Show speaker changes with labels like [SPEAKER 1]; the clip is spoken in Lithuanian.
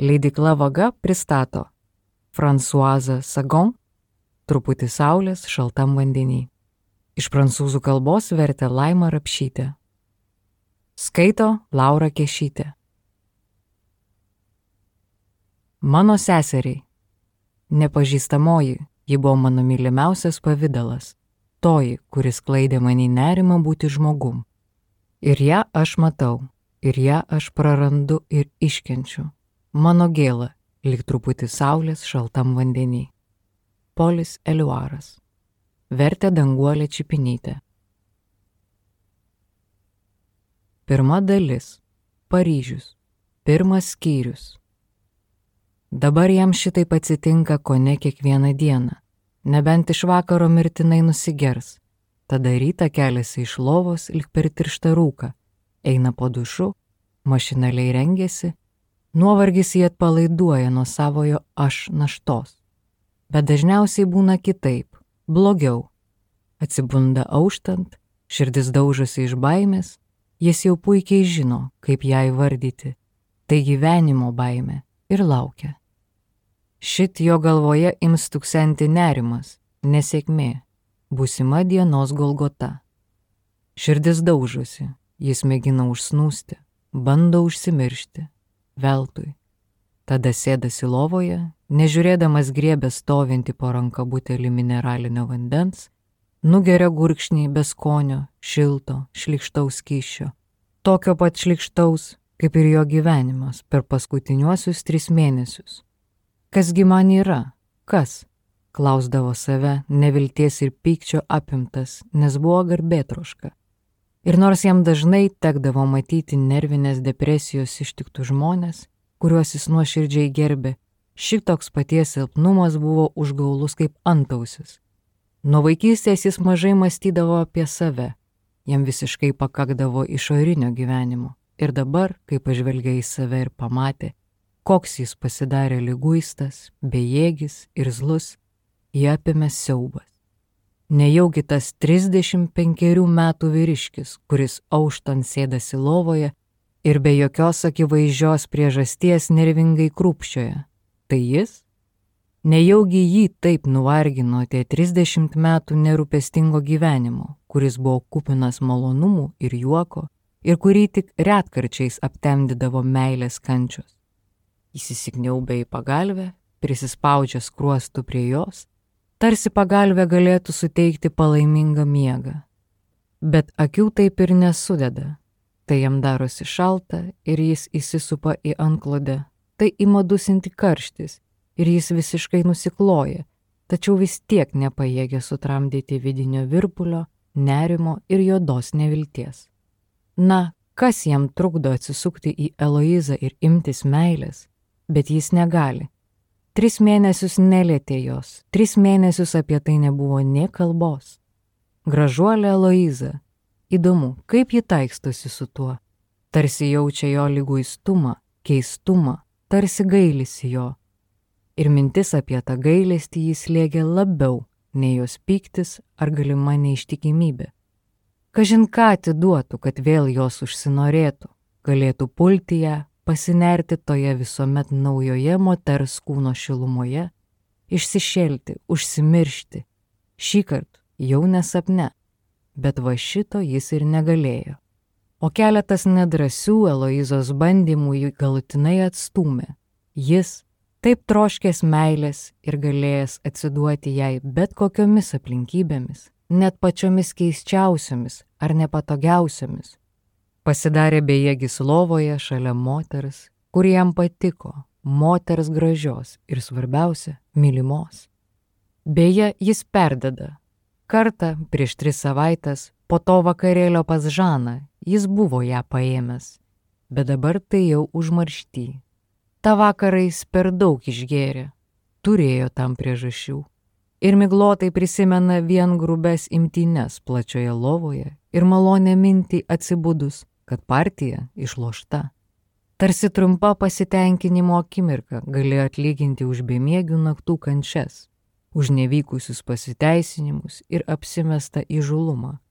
[SPEAKER 1] Leidykla Vaga pristato Françoise Sagan Truputį saulės šaltam vandenį. Iš prancūzų kalbos vertė Laima Rapšytė. Skaito Laura Kešytė. Mano seseriai. Nepažįstamoji, ji buvo mano mylimiausias pavidalas, toji, kuris klaidė manį nerimą būti žmogum. Ir ją aš matau, ir ją aš prarandu ir iškenčiu. Mano gėla, lyg truputį saulės šaltam vandenį. Polis Eliuaras. Vertė Danguolė Čipinytė. Pirma dalis. Paryžius. Pirmas skyrius. Dabar jam šitaip atsitinka kone kiekvieną dieną. Nebent iš vakaro mirtinai nusigers. Tada rytą keliasi iš lovos lyg per tirštą rūką. Eina po dušu, mašinaliai rengiasi. Nuovargis jį atpalaiduoja nuo savojo aš naštos. Bet dažniausiai būna kitaip, blogiau. Atsibunda auštant, širdis daužosi iš baimės, jis jau puikiai žino, kaip ją įvardyti. Tai gyvenimo baimė ir laukia. Šit jo galvoje ims tuksenti nerimas, nesėkmė, būsima dienos Golgota. Širdis daužosi, jis mėgina užsnūsti, bando užsimiršti, veltui. Tada sėdasi lovoje, nežiūrėdamas griebė stovinti po ranka butelį mineralinio vandens, nugeria gurkšnį be skonio, šilto, šlykštaus skysčio. Tokio pat šlykštaus, kaip ir jo gyvenimas per paskutiniuosius 3 mėnesius. Kasgi man yra? Kas? Klausdavo save, nevilties ir pykčio apimtas, nes buvo garbėtroška. Ir nors jam dažnai tekdavo matyti nervinės depresijos ištiktų žmonės, kuriuos jis nuoširdžiai gerbė, šitoks paties silpnumas buvo užgaulus kaip antausis. Nuo vaikystės jis mažai mąstydavo apie save, jam visiškai pakakdavo išorinio gyvenimo. Ir dabar, kai pažvelgė į save ir pamatė, koks jis pasidarė liguistas, bejėgis ir zlus, jį apėmė siaubas. Nejaugi tas 35 metų vyriškis, kuris auštant sėdasi lovoje ir be jokios akivaizdžios priežasties nervingai krūpčioja, tai jis? Nejaugi jį taip nuvargino tie 30 metų nerūpestingo gyvenimo, kuris buvo kupinas malonumų ir juoko, ir kurį tik retkarčiais aptemdydavo meilės kančios. Jis įsikniaubė į pagalvę, prisispaudžia skruostų prie jos, tarsi pagalvė galėtų suteikti palaimingą miegą. Bet akių taip ir nesudeda. Tai jam darosi šalta ir jis įsisupa į antklodę. Tai ima dusinti karštis ir jis visiškai nusikloja, tačiau vis tiek nepajėgia sutramdyti vidinio virpulio, nerimo ir juodos nevilties. Na, kas jam trukdo atsisukti į Eloizą ir imtis meilės, bet jis negali. 3 mėnesius nelietė jos, 3 mėnesius apie tai nebuvo nė kalbos. Gražuolė Eloiza, įdomu, kaip ji taikstosi su tuo. Tarsi jaučia jo liguistumą, keistumą, tarsi gailisi jo. Ir mintis apie tą gailestį jis slėgė labiau nei jos pyktis ar galima neištikimybė. Kažin ką atiduotų, kad vėl jos užsinorėtų, galėtų pulti ją, pasinerti toje visuomet naujoje moters kūno šilumoje, išsišelti, užsimiršti. Šįkart jau nesapne, bet va šito jis ir negalėjo. O keletas nedrąsių Eloizos bandymų jį galutinai atstūmė. Jis, taip troškęs meilės ir galėjęs atsiduoti jai bet kokiomis aplinkybėmis, net pačiomis keisčiausiomis ar nepatogiausiomis, pasidarė bejėgis lovoje šalia moters, kuri jam patiko, moters gražios ir svarbiausia, mylimos. Beje, jis perdeda. Kartą prieš 3 savaites po to vakarėlio pas Žaną jis buvo ją paėmęs, bet dabar tai jau užmaršty. Ta vakarą jis per daug išgėrė, turėjo tam priežasčių. Ir miglotai prisimena vien grubes imtynes plačioje lovoje ir malonę mintį atsibudus, kad partija išlošta. Tarsi trumpa pasitenkinimo akimirka galėjo atlyginti už bemiegių naktų kančias, už nevykusius pasiteisinimus ir apsimestą įžūlumą,